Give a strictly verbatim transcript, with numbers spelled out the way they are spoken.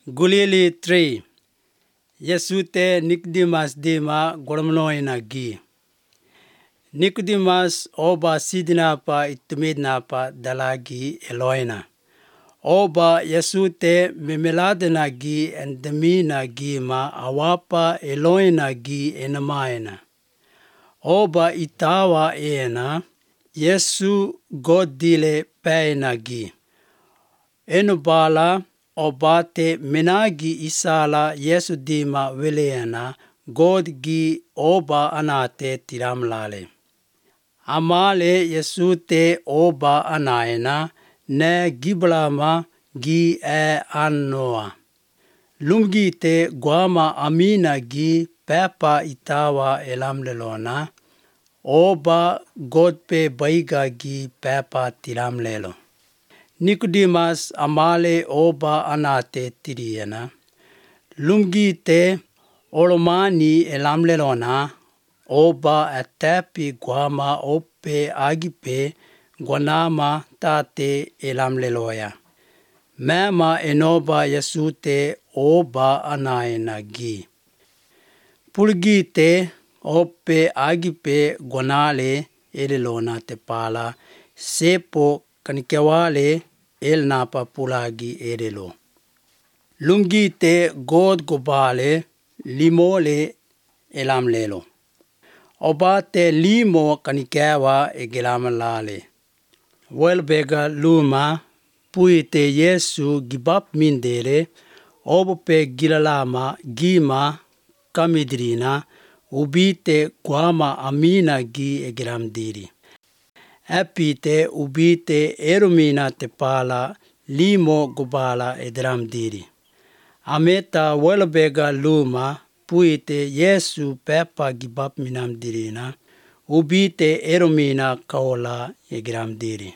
Gulili three. Yesute Nicodemus dema gormloina gi. Nicodemus oba sidinapa itumidnapa dalagi Eloina. Oba Yesute memeladena gi endemina gi ma awapa Eloina gi enamaina. Oba itawa ena Yesu godile paina gi. Enubala obate menagi isala Yesu dima weleana God gi oba anate tiramlale. Amale Yesute oba anaena ne giblama gi e annoa. Lumgite guama amina gi pepa itawa elamlelona. Oba godpe baiga gi pepa tiramlelo. Nicodemus amale oba anate tiriena. Lumgite olomani elamlelona. Oba atepi guama ope agipe guanama tate elamleloya. Mema enoba Yesute oba anaena gi. Pulgite ope agipe guanale elelona tepala sepo kanikewale elnapa pulagi elelo. Lumgite god gobale limole elamlelo. Obate limo kanikewa egelamalale. Welbega luma puite Yesu gibap mindere obope gilalama gima kamidrina ubite guama amina gi egelamdiri. Epite ubite erumina tepala limo gobala edramdiri. Ameta welbega luma puite Yesu pepa gibap minamdirina ubite erumina kaola egelamdiri.